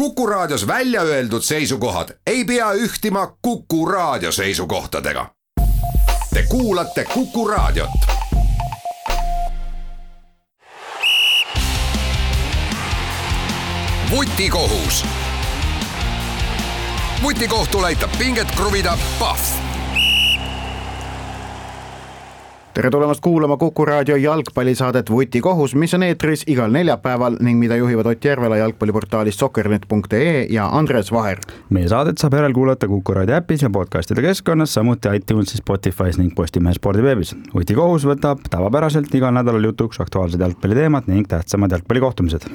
Kuku Raadios välja öeldud seisukohad ei pea ühtima Kuku Raadio seisukohtadega. Te kuulate Kuku Raadiot. Vutikohus. Vutikohtul aitab pinget kruvida Pahv. Tere tulemast kuulama Kuku Raadio jalgpallisaadet Vutikohus, mis on eetris igal neljapäeval ning mida juhivad Ott Järvela jalgpalliportaalist soccernet.ee ja Andres Vaher. Meie saadet saab järel kuulata Kuku Raadio äpis ja podcastide keskkonnas, samuti iTunesis, Spotify's ning Postimehe spordiveebis. Vutikohus võtab tavapäraselt igal nädalal jutuks aktuaalsed jalgpalliteemad ning tähtsamad jalgpallikohtumised.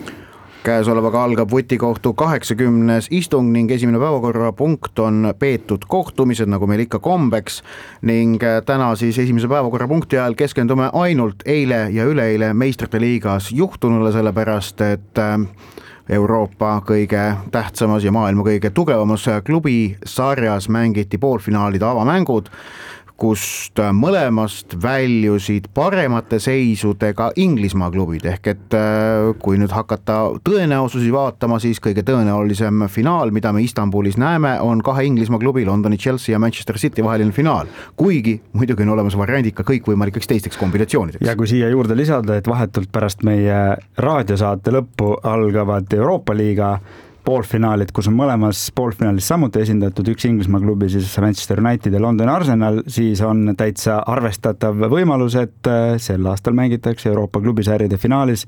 Käesolevaga algab Vutikohtu 80. istung ning esimene päevakorrapunkt on peetud kohtumised, nagu meil ikka kombeks, ning täna siis esimese päevakorrapunkti ajal keskendume ainult eile ja üleeile meistrite liigas juhtunule, sellepärast et Euroopa kõige tähtsamas ja maailma kõige tugevamas klubi sarjas mängiti poolfinaalide avamängud, kust mõlemast väljusid paremate seisudega Inglismaa klubid, ehk et kui nüüd hakata tõenäosusi vaatama, siis kõige tõenäolisem finaal, mida me Istanbulis näeme, on kahe Inglismaa klubi, Londoni Chelsea ja Manchester City vaheline finaal, kuigi muidugi on olemas variandid ka kõikvõimalikeks teisteks kombinatsioonideks. Ja kui siia juurde lisada, et vahetult pärast meie raadiosaate lõppu algavad Euroopa liiga poolfinaalid, kus on mõlemas poolfinaalis samuti esindatud üks Inglismaa klubi, siis Manchester United ja London Arsenal, siis on täitsa arvestatav võimalus, et sel aastal mängitakse Euroopa klubisärjade finaalis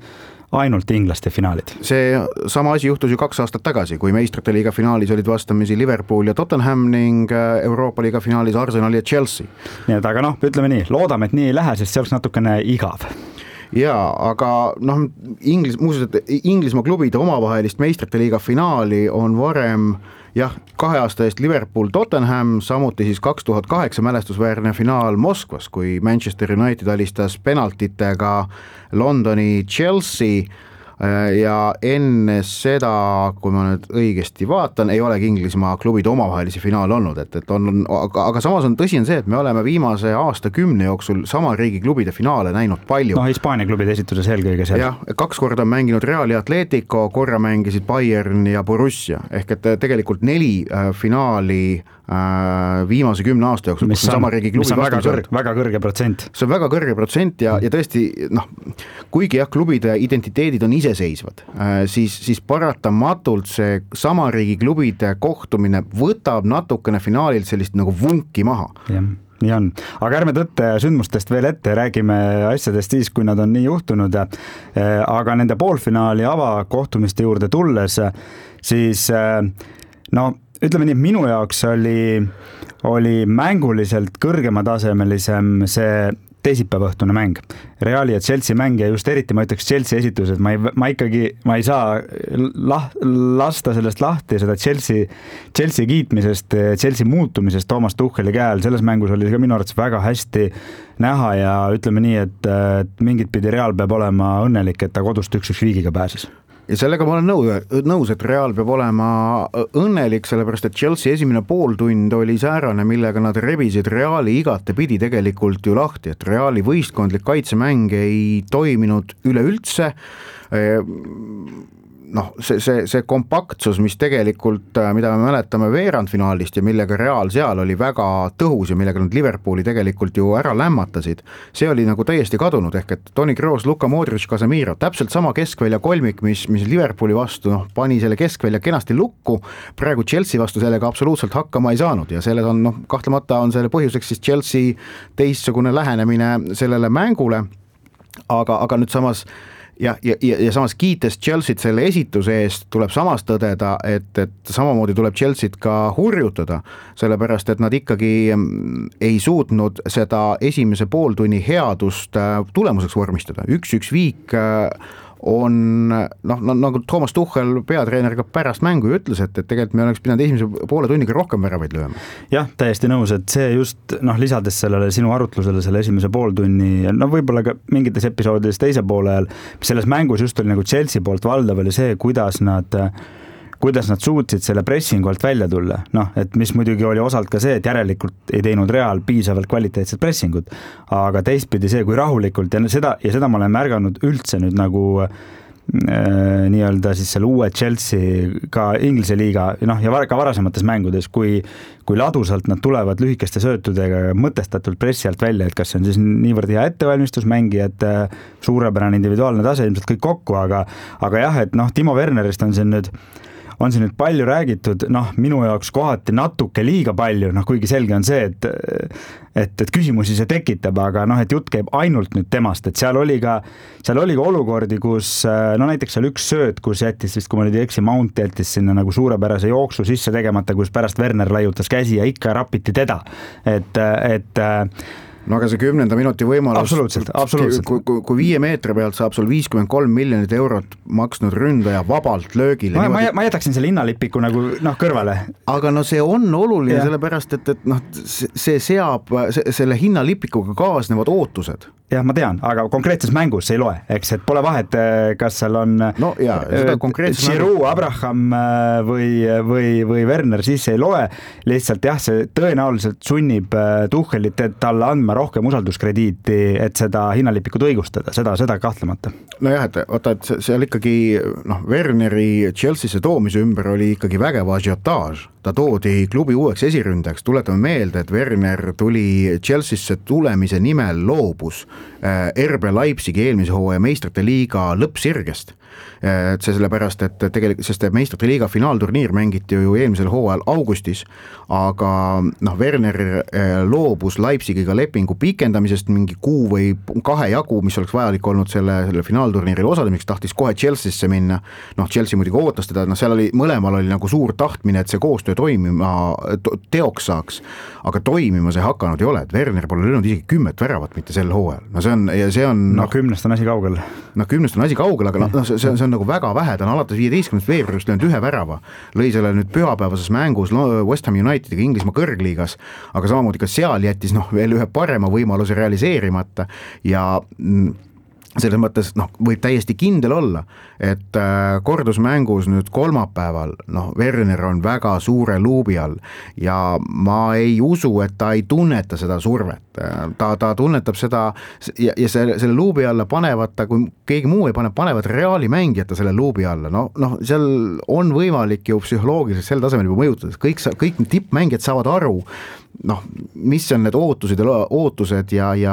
ainult inglaste finaalid. See sama asi juhtus ju 2 aastat tagasi, kui meistrite liiga finaalis olid vastamisi Liverpool ja Tottenham ning Euroopa liiga finaalis Arsenal ja Chelsea. Nii et aga ütleme nii, loodame, et nii ei lähe, sest see oleks natukene igav. Jaa, aga Inglismaa klubide omavahelist meistrite liiga finaali on varem 2 aasta eest Liverpool Tottenham, samuti siis 2008 mälestusväärne finaal Moskvas, kui Manchester United alistas penaltitega Londoni Chelsea ja enne seda, kui ma nüüd õigesti vaatan, ei olegi Inglismaa klubide omavahelisi finaale olnud, aga samas on tõsi on see, et me oleme viimase aastakümne jooksul sama riigi klubide finaale näinud palju. Hispaania klubide esituses eelkõige seal. Jah, 2 korda on mänginud Real ja Atletico, korra mängisid Bayern ja Borussia, ehk et tegelikult 4 finaali viimase 10 aasta jooksul, mis on väga kõrge protsent. See on väga kõrge protsent ja tõesti, kuigi klubide identiteedid on iseseisvad, siis paratamatult see sama riigi klubide kohtumine võtab natukene finaalilt sellist nagu vunki maha. Nii on, aga ärme tõtte sündmustest veel ette, räägime asjadest siis, kui nad on nii juhtunud, aga nende poolfinaali avakohtumiste juurde tulles, siis ütleme nii, minu jaoks oli mänguliselt kõrgema tasemelisem see teisipäevaõhtune mäng. Reali ja Chelsea mäng ja just eriti ma ütleks Chelsea esituses, ma ei saa lasta sellest lahti seda Chelsea kiitmisest, Chelsea muutumisest Toomas Tucheli käel. Selles mängus oli ka minu arvates väga hästi näha ja ütleme nii, et mingit pidi Real peab olema õnnelik, et ta kodust 1-1 viigiga pääses. Ja sellega ma olen nõus, et Real peab olema õnnelik, sellepärast et Chelsea esimene pooltund oli säärane, millega nad rebisid Reali igate pidi tegelikult ju lahti, et Reali võistkondlik kaitsemäng ei toiminud üleüldse. See kompaktsus, mis tegelikult, mida me mäletame veerandfinaalist ja millega Real seal oli väga tõhus ja millega nad Liverpooli tegelikult ju ära lämmatasid, see oli nagu täiesti kadunud, ehk et Toni Kroos, Luka Modric, Casemiro, täpselt sama keskvälja kolmik, mis Liverpooli vastu pani selle keskvälja kenasti lukku, praegu Chelsea vastu sellega absoluutselt hakkama ei saanud ja selles on kahtlemata on selle põhjuseks siis Chelsea teistsugune lähenemine sellele mängule, aga nüüd samas ja samas kiites Chelsea't selle esituse eest tuleb samas tõdeda, et samamoodi tuleb Chelsea't ka hurjutada, sellepärast et nad ikkagi ei suutnud seda esimese pooltunni headust tulemuseks vormistada. 1-1 viik on, nagu Toomas Tuchel peatreener ka pärast mängu ütles, et tegelikult me oleks pidanud esimese poole tunniga rohkem väravaid lööma. Jah, täiesti nõus, et see just lisades sellele sinu arutlusele selle esimese pooltunni ja võib-olla ka mingites episoodides teise poole ajal, selles mängus just oli nagu Chelsea poolt valdav oli see, kuidas nad suutsid selle pressingu alt välja tulla. Et mis muidugi oli osalt ka see, et järelikult ei teinud Real piisavalt kvaliteetset pressingut, aga teistpidi see, kui rahulikult ja seda ma olen märganud üldse nüüd nagu nii-öelda siis selle uue Chelsea ka Inglise liiga, noh ja ka varasemates mängudes, kui ladusalt nad tulevad lühikeste söötudega mõtestatult pressi alt välja, et kas see on siis niivõrd hea ettevalmistus, mängijad, suurepärane individuaalne tase, ilmselt kõik kokku, aga jah, et noh, Timo Wernerist on siin nüüd palju räägitud, noh, minu jaoks kohati natuke liiga palju, noh, kuigi selge on see, et küsimusi see tekitab, aga noh, et jutt käib ainult nüüd temast, et seal oli ka olukordi, kus no näiteks seal üks sööt, kus jättis vist, kui ma nüüd ei eksi, Mount jättis sinna nagu suurepärase jooksu sisse tegemata, kus pärast Werner laiutas käsi ja ikka rapiti teda, et no aga see 10. minuti võimalus, absoluutselt. Kui 5 meetri pealt saab sul 53 miljonit eurot maksnud ründaja vabalt löögile. No, ma jätaksin selle hinnalipiku nagu kõrvale. Aga no see on oluline sellepärast, et noh, see seab selle hinnalipikuga kaasnevad ootused. Jah, ma tean, aga konkreetses mängus see ei loe, eks, et pole vahet, kas seal on no, jah, Giroud, Abraham või Werner, siis ei loe, lihtsalt jah, see tõenäoliselt sunnib Tuchelit talle andma rohkem usalduskrediiti, et seda hinnalipikut õigustada, seda kahtlemata. No jah, et vaata, et seal ikkagi Werneri Chelsea'sse toomise ümber oli ikkagi vägev ažiotaaž. Ta toodi klubi uueks esiründajaks, tuletame meelde, et Werner tuli Chelsea'sse tulemise nimel loobus RB Leipzigi eelmise hooaja meistrite liiga lõppsirgest. Et see sellepärast, et tegelikult, sest meistrite liiga finaalturniir mängiti ju eelmisel hooajal augustis, aga noh, Werner loobus Leipzigiga lepingu pikendamisest mingi kuu või 2 jagu, mis oleks vajalik olnud selle finaalturniiril osalemiseks, tahtis kohe Chelsea'sse minna. Noh, Chelsea muidugi ootas teda, noh, seal oli, mõlemal oli nagu suur tahtmine, et see koostöö teoks saaks, aga toimima see hakanud ei ole, et Werner pole löönud isegi 10 väravat mitte sel hooajal. No see on no 10 on asi kaugel. No 10 on asi kaugel, aga no, see on nagu väga vähe, ta on alates 15. veebruarist löönud 1 värava. Lõi selle nüüd pühapäevases mängus West Ham Unitediga Inglismaa kõrgliigas, aga samamoodi ka seal jättis veel ühe parema võimaluse realiseerimata ja selles mõttes võib täiesti kindel olla, et kordusmängus nüüd kolmapäeval Werner on väga suure luubi all ja ma ei usu, et ta ei tunneta seda survet. Ta tunnetab seda ja selle luubi alla panevad ta, kui keegi muu ei panevad Reali mängijata selle luubi alla. Seal on võimalik ju psühholoogiliselt sel tasemel juba mõjutada. Kõik tippmängijad saavad aru, mis on need ootused ja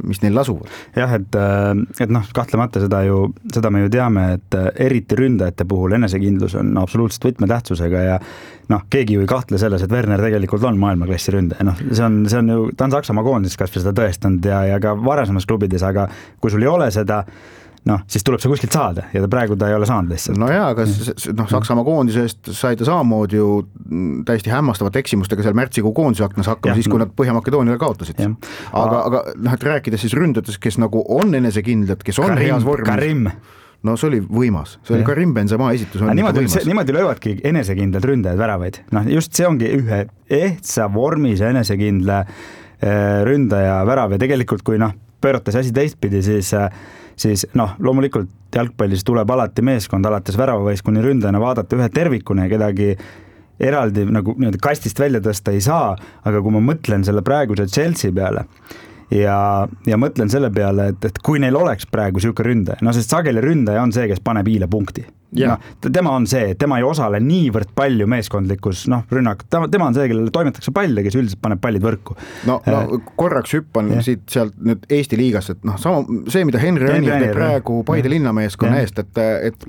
mis neil lasuvad. Jah, et kahtlemata seda me ju teame, et eriti ründajate puhul enesekindlus on absoluutselt võtmetähtsusega ja keegi ju ei kahtle selles, et Werner tegelikult on maailmaklassi ründaja. See on ju, ta on Saksamaa koondis kasvõi seda tõestanud ja ka varasemas klubides, aga kui sul ei ole seda, siis tuleb see kuskilt saada ja praegu ta ei ole saanud lihtsalt. No jaa, aga Saksamaa koondisest sai ta samamoodi ju täiesti hämmastavate eksimustega seal märtsikuu koondise aknas hakkama, siis kui nad Põhja-Makedooniale kaotasid. Aga et rääkides siis ründates, kes nagu on enesekindlad, kes on heas vormis. Karim. No see oli võimas, see oli Karim Benzema esitus. Niimoodi löövadki enesekindlad ründajad väravaid. Just see ongi ühe ehtsa vormis enesekindla ründaja värav ja tegelikult kui pöörates asi teistpidi, siis loomulikult jalgpallis tuleb alati meeskond alates väravavõist kuni ründajana vaadata ühe tervikuna ja kedagi eraldi nagu kastist välja tõsta ei saa, aga kui ma mõtlen selle praeguse Chelsea peale ja mõtlen selle peale, et kui neil oleks praegu siuke ründaja, sest sageli ründaja on see, kes paneb hiile punkti. Tema on see, tema ei osale niivõrd palju meeskondlikus rünnak, tema on see, kellele toimetatakse pall ja kes üldiselt paneb pallid võrku. Korraks hüppan siit sealt nüüd Eesti liigas, et sama see, mida Henri Anir teeb praegu Paide linnameeskonna eest, et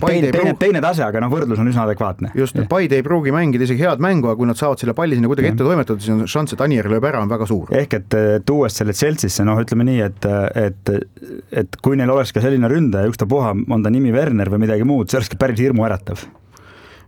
teine tase, aga võrdlus on üsna adekvaatne. Just, et Paide ei pruugi mängida isegi head mängu, aga kui nad saavad selle palli sinna kuidagi ette toimetada, siis on šans, et Anir lööb ära, on väga suur. Ehk et tuues selle Chelsea'sse, ütleme nii, et kui neil oleks ka selline ründaja, ükstapuha on ta nimi Werner või midagi muud, see olekski päris hirmu äratav.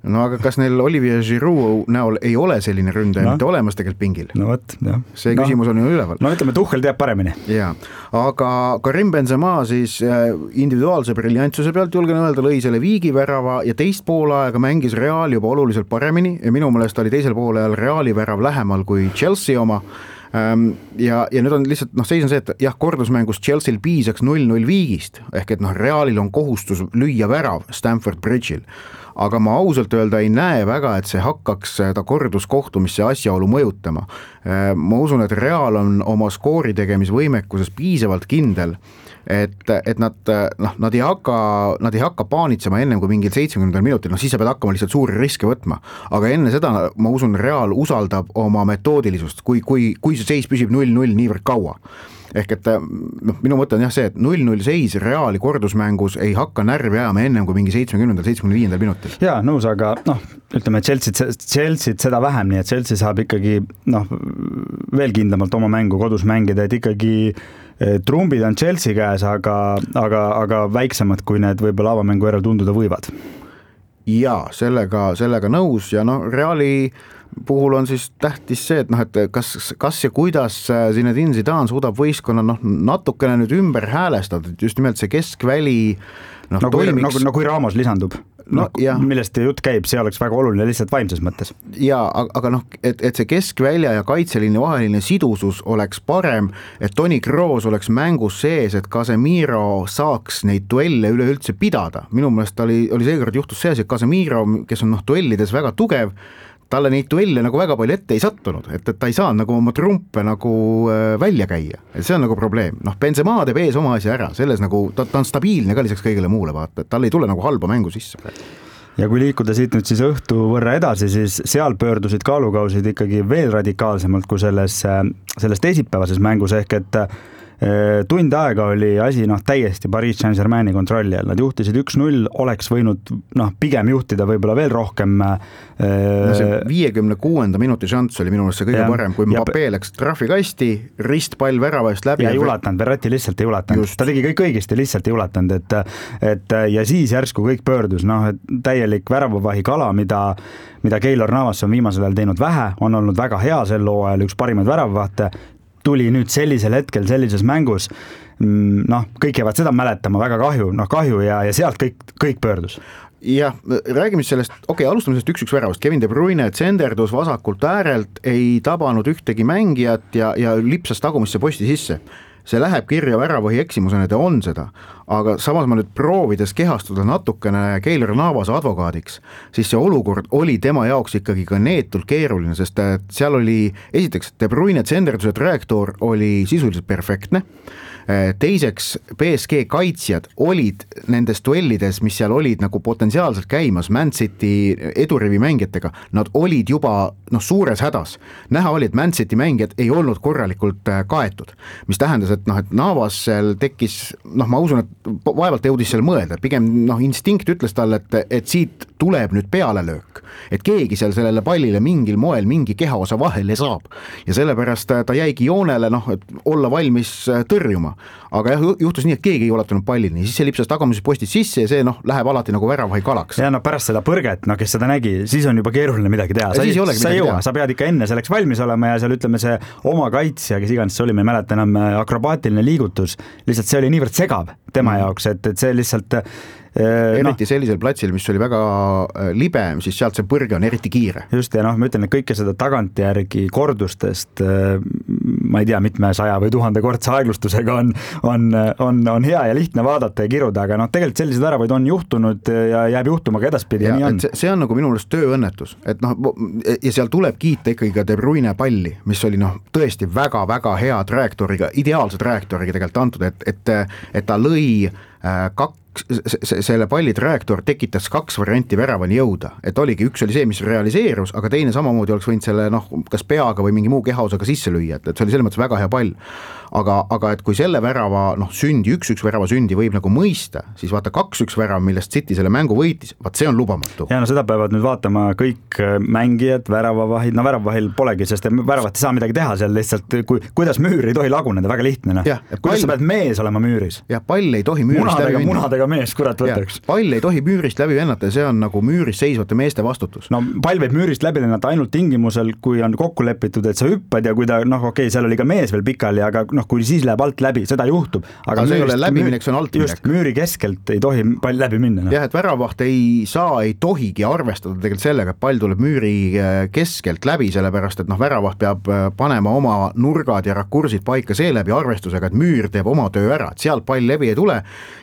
Aga kas neil Olivier Giroud näol ei ole selline ründaja mitte olemas tegelikult pingil? Võt, jah. See küsimus on ju üleval. Ütleme, Tuchel teab paremini. Jaa, aga Karim Benzema siis individuaalse briljantsuse pealt julgen öelda lõi selle viigivärava ja teist poolaega mängis Real juba oluliselt paremini ja minu meelest oli teisel poolajal Reali värav lähemal kui Chelsea oma. Ja nüüd on lihtsalt, seis on see, et jah, kordusmängus Chelsea'l piisaks 0-0 viigist, ehk et Realil on kohustus lüüa värav Stamford Bridge'il, aga ma ausalt öelda ei näe väga, et see hakkaks ta korduskohtumisse asjaolu mõjutama. Ma usun, et Real on oma skoori tegemisvõimekuses piisavalt kindel, et nad ei hakka paanitsema ennem kui mingil 70 minutil, siis sa pead hakkama lihtsalt suuri riske võtma, aga enne seda ma usun, Real usaldab oma metoodilisust, kui see seis püsib 0-0 niivõrd kaua. Ehk et minu mõte on jah see, et 0-0 seis Reali kordusmängus ei hakka närvi ajama ennem kui mingi 70-75 minutil. Jaa, nõus, aga ütleme, Chelsea seda vähem, nii et Chelsea saab ikkagi veel kindlamalt oma mängu kodus mängida, et ikkagi trumbid on Chelsea käes, aga väiksemad, kui need võib-olla avamängu järel tunduda võivad. Jaa, sellega nõus ja Reali puhul on siis tähtis see, et kas ja kuidas Zinedine Zidane suudab võistkonna natukene nüüd ümber häälestada, et just nimelt see keskväli toimiks. Kui Ramos lisandub, millest jutt käib, see oleks väga oluline lihtsalt vaimses mõttes. Jaa, aga et see keskvälja ja kaitseliini vaheline sidusus oleks parem, et Toni Kroos oleks mängus sees, et Casemiro saaks neid duelle üleüldse pidada. Minu meelest oli seekord juhtus sees, et Casemiro, kes on duellides väga tugev, talle neid duelle väga palju ette ei sattunud, et ta ei saa oma trumpe välja käia, et see on probleem. Benzema teeb ees oma asja ära, selles ta on stabiilne ka lisaks kõigele muule, vaata, et tal ei tule halba mängu sisse. Ja kui liikuda siit nüüd siis õhtu võrra edasi, siis seal pöördusid kaalukausid ikkagi veel radikaalsemalt kui selles teisipäevases mängus, ehk et tund aega oli asi täiesti Paris Saint-Germaini kontrolli all. Nad juhtisid 1-0, oleks võinud pigem juhtida võib-olla veel rohkem. See 56. minuti šanss oli minu meelest see kõige parem, kui Mbappé läks trahvikasti, ristpall väravast läbi. Ja ei ulatanud, Verratti lihtsalt ei ulatanud. Ta tegi kõik õigesti, lihtsalt ei ulatanud. Ja siis järsku kõik pöördus. Täielik väravavahi kala, mida Keylor Navas on viimasel ajal teinud vähe, on olnud väga hea sel hooajal, üks parimaid väravavahte, tuli nüüd sellisel hetkel, sellises mängus, kõik jäävad seda mäletama, väga kahju ja sealt kõik pöördus. Jah, räägime sellest, alustame sellest 1-1 väravast. Kevin De Bruyne tsenderdus vasakult äärelt, ei tabanud ühtegi mängijat ja lipsas tagumisse posti sisse. See läheb kirja väravahi eksimusena, ta on seda, aga samas ma nüüd proovides kehastuda natukene Keylor Navase advokaadiks, siis see olukord oli tema jaoks ikkagi ka neetult keeruline, sest seal oli esiteks De Bruyne tsenderduse trajektoor oli sisuliselt perfektne, teiseks PSG kaitsjad olid nendes duellides, mis seal olid potentsiaalselt käimas Man City edurivi mängijatega, nad olid juba suures hädas. Näha oli, et Man City mängijad ei olnud korralikult kaetud, mis tähendas, et Navasel tekkis, ma usun, et vaevalt jõudis seal mõelda, pigem instinkt ütles talle, et siit tuleb nüüd pealelöök, et keegi seal sellele pallile mingil moel mingi kehaosa vahele saab ja sellepärast ta jäigi joonele, et olla valmis tõrjuma. Aga juhtus nii, et keegi ei ulatanud pallini, siis see lipsas tagamises postid sisse ja see läheb alati väravahi kalaks. Ja pärast seda põrget, kes seda nägi, siis on juba keeruline midagi teha. Sa ei jõua, sa pead ikka enne selleks valmis olema ja seal ütleme see oma kaitsja, kes iganes see oli, me ei mäleta enam, akrobaatiline liigutus, lihtsalt see oli niivõrd segav tema jaoks, et see lihtsalt eriti sellisel platsil, mis oli väga libe, siis sealt see põrge on eriti kiire. Just, ja ma ütlen, et kõike seda tagantjärgi kordustest, ma ei tea, mitme 100 või 1000 kordse aeglustusega on hea ja lihtne vaadata ja kiruda, aga tegelikult sellised väravaid on juhtunud ja jääb juhtuma ka edaspidi ja nii on. See on minu meelest tööõnnetus, et ja seal tuleb kiita ikkagi ka De Bruyne palli, mis oli tõesti väga-väga hea trajektooriga, ideaalse trajektooriga tegelikult antud, et ta lõi selle palli trajektoor tekitas 2 varianti väravani jõuda, et oligi, üks oli see, mis realiseerus, aga teine samamoodi oleks võinud selle kas peaga või mingi muu kehaosaga sisse lüüa, et see oli selles mõttes väga hea pall. Aga et kui selle värava sündi, 1-1 värava sündi võib mõista, siis vaata 2-1 värav, millest City selle mängu võitis, vaat see on lubamatu. Ja seda peavad nüüd vaatama kõik mängijad, väravavahid, väravavahil polegi, sest väravat ei saa midagi teha seal lihtsalt, kuidas müür ei tohi laguneda, väga lihtne. Kuidas sa pead mees olema müüris? Ja pall ei tohi müürist läbi minna. Munadega mees, kurat võtaks. Pall ei tohi müürist läbi lennata ja see on müüris seisvate meeste vastutus. Pall võib müürist läbi lennata ainult tingimusel, kui on kokku lepitud, et sa hüppad ja kui ta, seal oli ka mees veel pikali, aga kui siis läheb alt läbi, seda juhtub. Aga see ei ole läbiminek, see on alt minek. Just, müüri keskelt ei tohi pall läbi minna. Jah, et väravaht ei tohigi arvestada tegelikult sellega, et pall tuleb müüri keskelt läbi, sellepärast, et väravaht peab panema oma nurgad ja rakursid paika seeläbi arvestusega, et müür teeb oma töö ära, et sealt pall läbi ei tule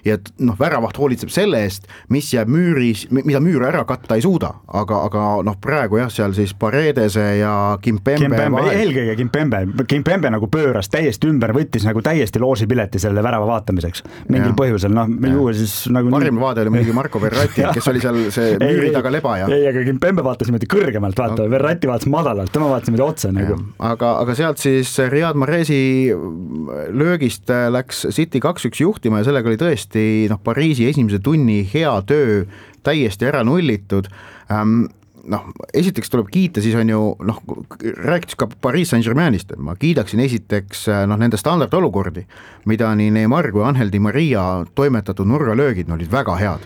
ja et väravaht hoolitseb selle eest, mis jääb müüris, mida müür ära katta ei suuda, aga noh, praegu jah, seal siis Paredese ja Kimpembe eelkõige Kimpembe nagu pööras täiesti ümber, võttis nagu täiesti loosipileti selle värava vaatamiseks mingil põhjusel, noh, juua siis nagu parim vaade oli muidugi Marco Verratti, kes oli seal see müüri taga lebaja. Ei, aga Kimpembe vaatas niimoodi kõrgemalt, vaata, Verratti vaatas madalalt, tema vaatas niimoodi otse nagu. Aga sealt siis Riyad Mahrezi löögist läks City 2-1 juhtima ja sellega oli tõesti Pariisi esimese tunni hea töö täiesti ära nullitud. Esiteks tuleb kiita, siis on ju, rääkides ka Paris Saint-Germainist, ma kiidaksin esiteks nende standardolukordi, mida nii Neymar kui Angel Di Maria toimetatud nurgalöögid olid väga hea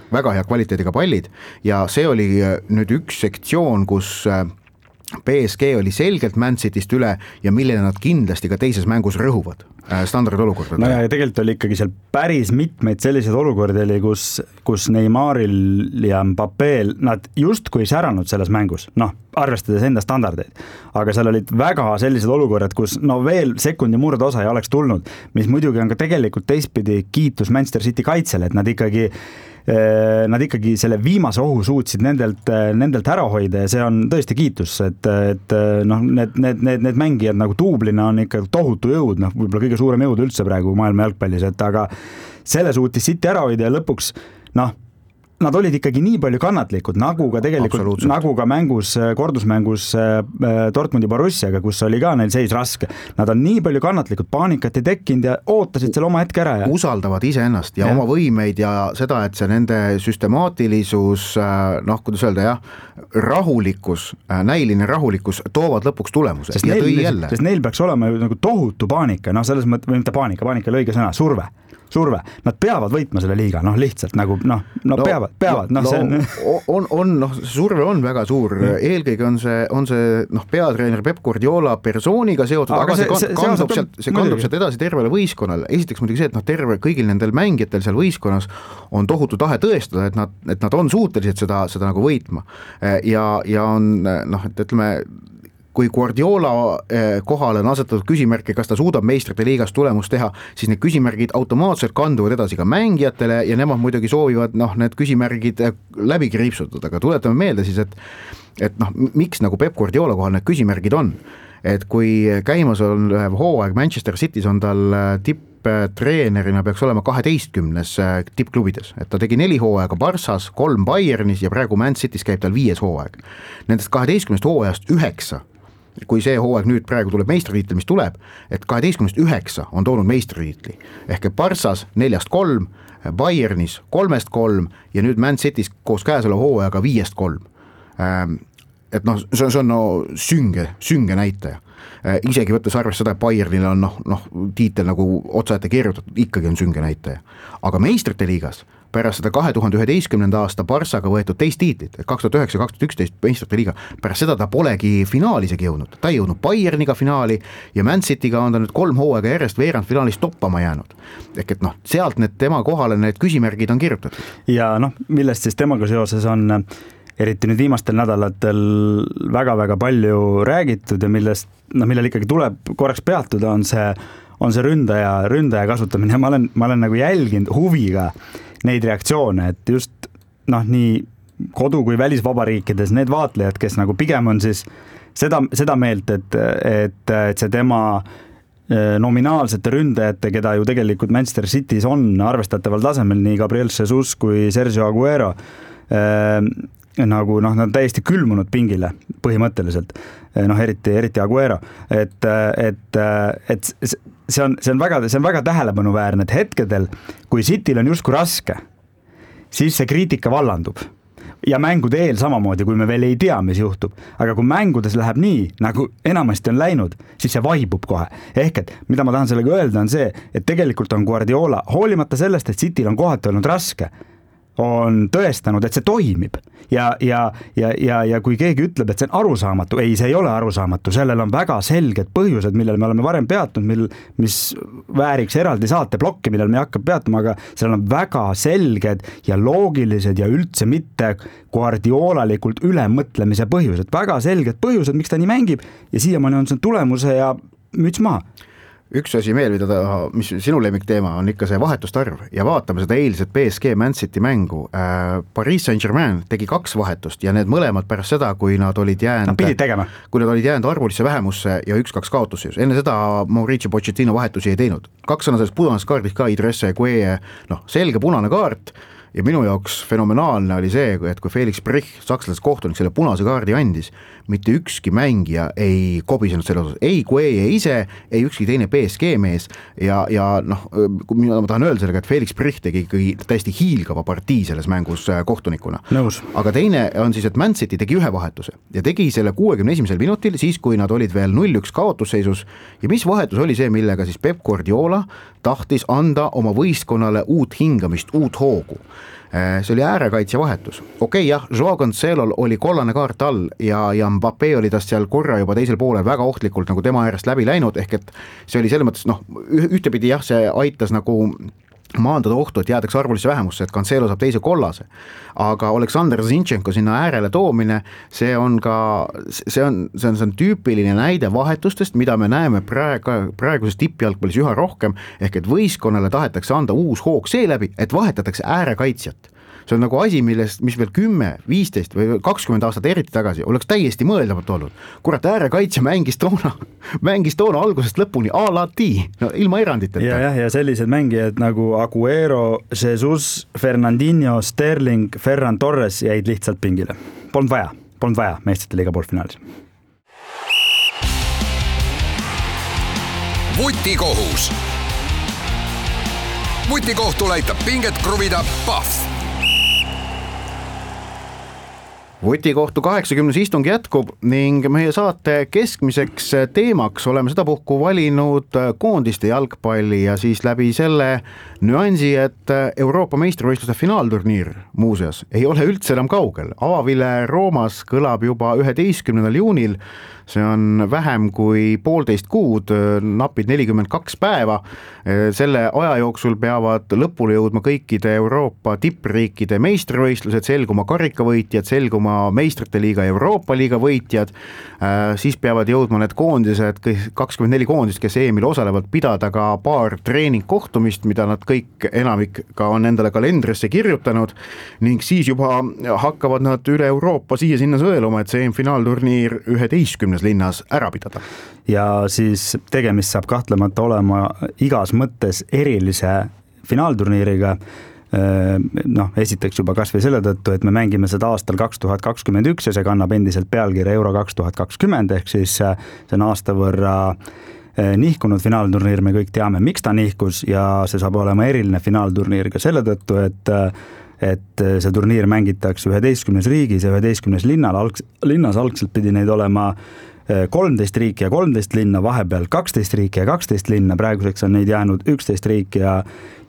kvaliteediga pallid ja see oli nüüd üks sektsioon, kus PSG oli selgelt Man Cityst üle ja millele nad kindlasti ka teises mängus rõhuvad standardolukordadele. No ja tegelikult oli ikkagi seal päris mitmeid selliseid olukordi oli, kus Neymaril ja Mbappeel, nad justkui säranud selles mängus, arvestades enda standardeid, aga seal olid väga sellised olukorrad, kus veel sekundi murdosa ei oleks tulnud, mis muidugi on ka tegelikult teistpidi kiitus Manchester City kaitsele, et nad ikkagi selle viimase ohu suutsid nendelt ära hoida ja see on tõesti kiitus, et need mängijad nagu duublina on ikka tohutu jõud, võib-olla kõige suurem jõud üldse praegu maailma jalgpallis, et aga selle suutis City ära hoida ja lõpuks nad olid ikkagi nii palju kannatlikud, nagu ka tegelikult, nagu ka kordusmängus Dortmundi Borussiaga, kus oli ka neil seis raske. Nad on nii palju kannatlikud, paanikat ei tekkinud ja ootasid selle oma hetke ära. Ja usaldavad iseennast ja oma võimeid ja seda, et see nende süstemaatilisus, kuidas öelda, rahulikkus, näiline rahulikkus toovad lõpuks tulemuse. Sest neil peaks olema ju nagu tohutu paanika, selles mõttes, või mitte paanika oli õige sõna, surve. Nad peavad võitma selle liiga, lihtsalt nagu, peavad. Surve on väga suur, eelkõige on see peatreener Pep Guardiola persooniga seotud, aga see kandub sealt edasi tervele võistkonnale. Esiteks muidugi see, et kõigil nendel mängijatel seal võistkonnas on tohutu tahe tõestada, et nad on suutelised seda nagu võitma. Ja on, et ütleme, kui Guardiola kohale on asetatud küsimärke, kas ta suudab meistrite liigas tulemust teha, siis need küsimärgid automaatselt kanduvad edasi ka mängijatele ja nemad muidugi soovivad need küsimärgid läbi kriipsutada, aga tuletame meelde siis, et miks nagu Pep Guardiola kohal need küsimärgid on, et kui käimas on hooaeg Manchester City's on tal tipptreenerina peaks olema 12 tippklubides, et ta tegi 4 hooaega Barças, 3 Bayernis ja praegu Man City's käib tal 5 hooaeg. Nendest 12 hooajast 9 kui see hooaeg nüüd praegu tuleb meistritiitel, mis tuleb, et 12-9 on toonud meistritiitli. Ehk Barças 4-3, Bayernis 3-3 ja nüüd Man City's koos käesoleva hooajaga 5-3. Et see on sünge näitaja. Isegi võttes arvesse seda, et Bayernil on tiitel nagu otsaette kirjutatud, ikkagi on sünge näitaja. Aga meistrite liigas pärast seda 2011. aasta Barçaga võetud teist tiitlit, 2009-2011 meistrite liiga, pärast seda ta polegi finaali isegi jõudnud. Ta ei jõudnud Bayerniga finaali ja Man Cityga on ta nüüd 3 hooaega järjest veerandfinaalis toppama jäänud. Ehk et sealt need tema kohale need küsimärgid on kirjutatud. Ja millest siis temaga seoses on eriti nüüd viimastel nädalatel väga-väga palju räägitud ja millel ikkagi tuleb korraks peatuda, on see ründaja kasutamine. Ma olen nagu jälginud huviga neid reaktsioone, et just nii kodu- kui välisvabariikides need vaatlejad, kes nagu pigem on siis seda meelt, et see tema nominaalsete ründajate, keda ju tegelikult Manchester City's on arvestataval tasemel, nii Gabriel Jesus kui Sergio Aguero, nad on täiesti külmunud pingile põhimõtteliselt, eriti Aguero, et see on väga tähelepanuväärne, et hetkedel, kui Cityl on justkui raske, siis see kriitika vallandub. Ja mängude eel samamoodi, kui me veel ei tea, mis juhtub. Aga kui mängudes läheb nii, nagu enamasti on läinud, siis see vaibub kohe. Ehk et, mida ma tahan sellega öelda, on see, et tegelikult on Guardiola, hoolimata sellest, et Cityl on kohati olnud raske, on tõestanud, et see toimib. Ja kui keegi ütleb, et see on arusaamatu, ei, see ei ole arusaamatu, sellel on väga selged põhjused, millel me oleme varem peatunud, mis vääriks eraldi saateblokki, millel me hakkab peatuma, aga sellel on väga selged ja loogilised ja üldse mitte guardiolalikult ülemõtlemise põhjused, väga selged põhjused, miks ta nii mängib ja siiamaani on see tulemuse ja müts maha. üks asi veel, mis sinu lemmikteema on ikka see vahetuste arv ja vaatame seda eilset PSG Man City mängu. Paris Saint-Germain tegi 2 vahetust ja need mõlemad pärast seda, kui nad olid jäänud arvulisse vähemusse ja 1-2 kaotuses. Enne seda Mauricio Pochettino vahetusi ei teinud. 2 sõna sellest punasest kaardist ka Idrissa ja Gueye, selge punane kaart. Ja minu jaoks fenomenaalne oli see, et kui Felix Brich, sakslasest kohtunik, selle punase kaardi andis, mitte ükski mängija ei kobisenud selle osas, ei Gueye ise, ei ükski teine PSG mees ja ma tahan öelda sellega, et Felix Brich tegi ikkagi täiesti hiilgava partii selles mängus kohtunikuna. Nõus. Aga teine on siis, et Man City tegi 1 vahetuse ja tegi selle 61. minutil, siis kui nad olid veel 0-1 kaotusseisus ja mis vahetus oli see, millega siis Pep Guardiola tahtis anda oma võistkonnale uut hingamist, uut hoogu. See oli äärekaitse vahetus. Okei, jah, Joao Cancelol oli kollane kaart all ja Mbappé oli tast seal korra juba teisel poolel väga ohtlikult nagu tema äärest läbi läinud, ehk et see oli selles mõttes, ühtepidi jah, see aitas nagu maandada ohtu, et jäädakse arvulisse vähemusse, et Cancelo saab teise kollase. Aga Aleksander Zinchenko sinna äärele toomine, see on tüüpiline näide vahetustest, mida me näeme praeguses tippjalgpallis üha rohkem, ehk et võistkonnale tahetakse anda uus hoog seeläbi, et vahetatakse äärekaitsjat. See on nagu asi, mis veel 10, 15 või 20 aastat eriti tagasi oleks täiesti mõeldamatu olnud. Kurat, äärekaitse mängis toona algusest lõpuni a la T, ilma eranditeta. Ja sellised mängijad nagu Aguero, Jesus, Fernandinho, Sterling, Ferran Torres jäid lihtsalt pingile. Polnud vaja meistrite liiga poolfinaalis. Vutikohus. Vutikohtul aitab pinget kruvida Pahv. Vutikohtu 80. istung jätkub ning meie saate keskmiseks teemaks oleme sedapuhku valinud koondiste jalgpalli ja siis läbi selle nüansi, et Euroopa meistrivõistluste finaalturniir muuseas ei ole üldse enam kaugel. Avavile Roomas kõlab juba 11. juunil, see on vähem kui 1,5 kuud, napid 42 päeva. Selle aja jooksul peavad lõpule jõudma kõikide Euroopa tippriikide meistrivõistlused, selguma karikavõitjad, selguma meistrite liiga, Euroopa liiga võitjad, siis peavad jõudma need koondised, 24 koondist, kes EM-il osalevad, pidada ka paar treeningkohtumist, mida nad kõik enamik ka on endale kalendrisse kirjutanud ning siis juba hakkavad nad üle Euroopa siia-sinna sõeluma, et see EM-finaalturniir 11. linnas ära pidada. Ja siis tegemist saab kahtlemata olema igas mõttes erilise finaalturniiriga. Esiteks juba kas või selle tõttu, et me mängime seda aastal 2021 ja see kannab endiselt pealkirja Euro 2020, ehk siis see on aasta võrra nihkunud finaalturniir, me kõik teame, miks ta nihkus ja see saab olema eriline finaalturniir ka selle tõttu, et see turniir mängitakse 11 riigis ja 11 linnas algselt pidi neid olema 13 riiki ja 13 linna, vahepeal 12 riiki ja 12 linna, praeguseks on neid jäänud 11 riiki ja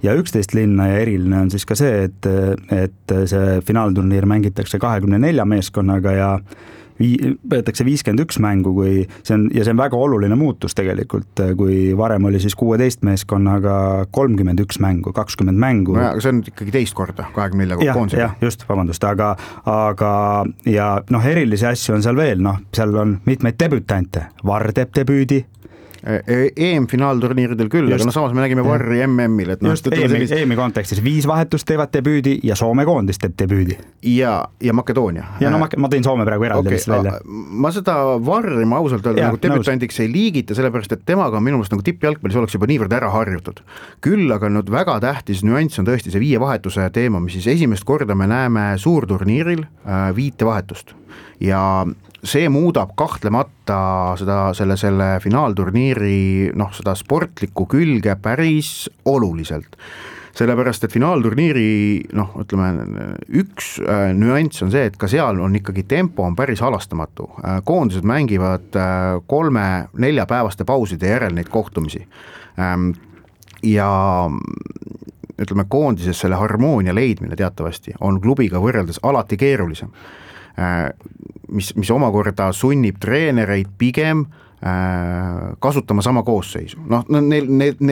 11 linna ja eriline on siis ka see, et see finaalturniir mängitakse 24 meeskonnaga ja võetakse 51 mängu, kui see on väga oluline muutus tegelikult, kui varem oli siis 16 meeskonnaga 31 mängu, 20 mängu. No, see on ikkagi teist korda, 24 koondisega. Jah, just, vabandust, aga ja erilisi asju on seal veel, seal on mitmeid debütante, VAR teeb debüüdi, EM-finaalturniiridel küll, aga samas me nägime VAR-i MM-il. Just EM-i kontekstis 5 vahetust teevad debüüdi ja Soome koondis teeb debüüdi. Ja Makedoonia. Ja ma tõin Soome praegu eraldi välja. Ma seda VAR-i ma ausalt öelda nagu debütandiks ei liigita, sellepärast, et temaga on minu meelest nagu tippjalgpallis oleks juba niivõrd ära harjutud. Küll aga nüüd väga tähtis nüanss on tõesti see 5 vahetuse teema, mis siis esimest korda me näeme suurturniiril 5 vahetust. Ja see muudab kahtlemata selle finaalturniiri seda sportlikku külge päris oluliselt. Sellepärast, et finaalturniiri üks nüanss on see, et ka seal on ikkagi tempo on päris halastamatu. Koondised mängivad 3-4 päevaste pauside järel neid kohtumisi. Ja koondises selle harmoonia leidmine teatavasti on klubiga võrreldes alati keerulisem. Mis omakorda sunnib treenereid pigem kasutama sama koosseisu.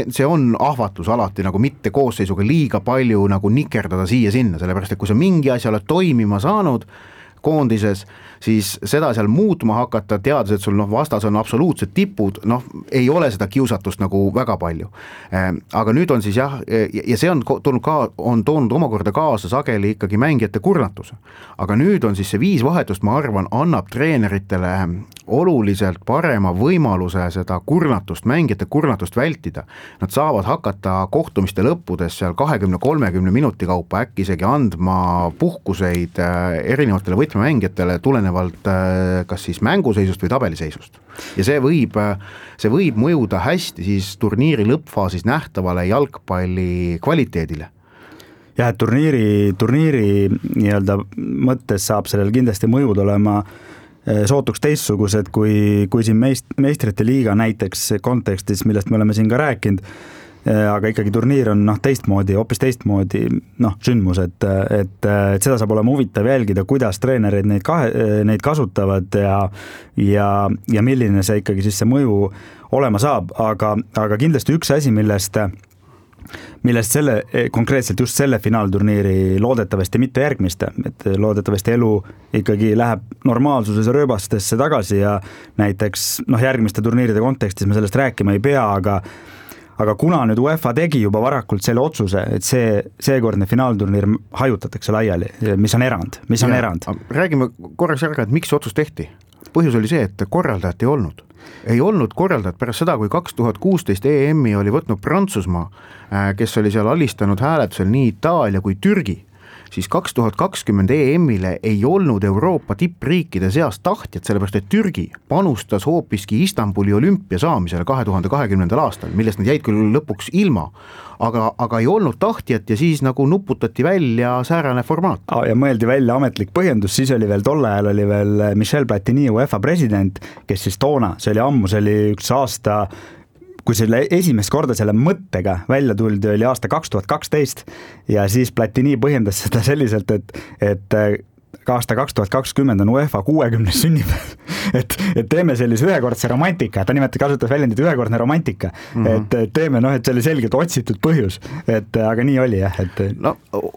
See on ahvatlus alati nagu mitte koosseisuga liiga palju nagu nikerdada siia-sinna, sellepärast, et kui sa mingi asja oled toimima saanud koondises, siis seda seal muutma hakata, teades, et sul vastas on absoluutsed tipud, ei ole seda kiusatust nagu väga palju. Aga nüüd on siis jah, ja see on toonud omakorda kaasa sageli ikkagi mängijate kurnatuse. Aga nüüd on siis see 5 vahetust, ma arvan, annab treeneritele oluliselt parema võimaluse seda kurnatust, mängijate kurnatust vältida. Nad saavad hakata kohtumiste lõppudes seal 20-30 minuti kaupa äkki isegi andma puhkuseid erinevatele võtmemängijatele tulenevalt kas siis mänguseisust või tabeliseisust. Ja see võib mõjuda hästi siis turniiri lõppfaasis nähtavale jalgpalli kvaliteedile. Ja et turniiri nii-öelda mõttes saab sellel kindlasti mõjud olema sootuks teistsugused kui siin meistrite liiga näiteks kontekstis, millest me oleme siin ka rääkinud, aga ikkagi turniir on hoopis teistmoodi sündmus, et seda saab olema huvitav jälgida, kuidas treenerid neid kasutavad ja milline see ikkagi siis see mõju olema saab, aga kindlasti üks asi, millest konkreetselt just selle finaalturniiri loodetavasti mitte järgmiste, et loodetavasti elu ikkagi läheb normaalsuses ja rööbastesse tagasi ja näiteks järgmiste turniiride kontekstis me sellest rääkima ei pea, aga kuna nüüd UEFA tegi juba varakult selle otsuse, et seekordne finaalturniir hajutatakse laiali, mis on erand. Räägime korraks ära, et miks otsus tehti. Põhjus oli see, et korraldajat ei olnud korraldajat pärast seda, kui 2016 EM-i oli võtnud Prantsusmaa, kes oli seal alistanud hääletusel nii Itaalia kui Türgi, siis 2020 EM-ile ei olnud Euroopa tippriikide seas tahtjad, sellepärast et Türgi panustas hoopiski Istanbuli olümpia saamisele 2020. aastal, millest nad jäid küll lõpuks ilma, aga ei olnud tahtjat ja siis nagu nuputati välja säärane formaat. Ja mõeldi välja ametlik põhjendus, siis oli veel tol ajal oli veel Michel Platini UEFA president, kes siis toona, see oli ammu, see oli üks aasta, kui selle esimest korda selle mõttega välja tuldi, oli aasta 2012 ja siis Platini põhjendas seda selliselt, et aasta 2020 on UEFA 60 sünnipäev, et teeme sellise ühekordse romantika, ta nimelt kasutas väljendit ühekordne romantika, et teeme, et see oli selgelt otsitud põhjus, aga nii oli jah.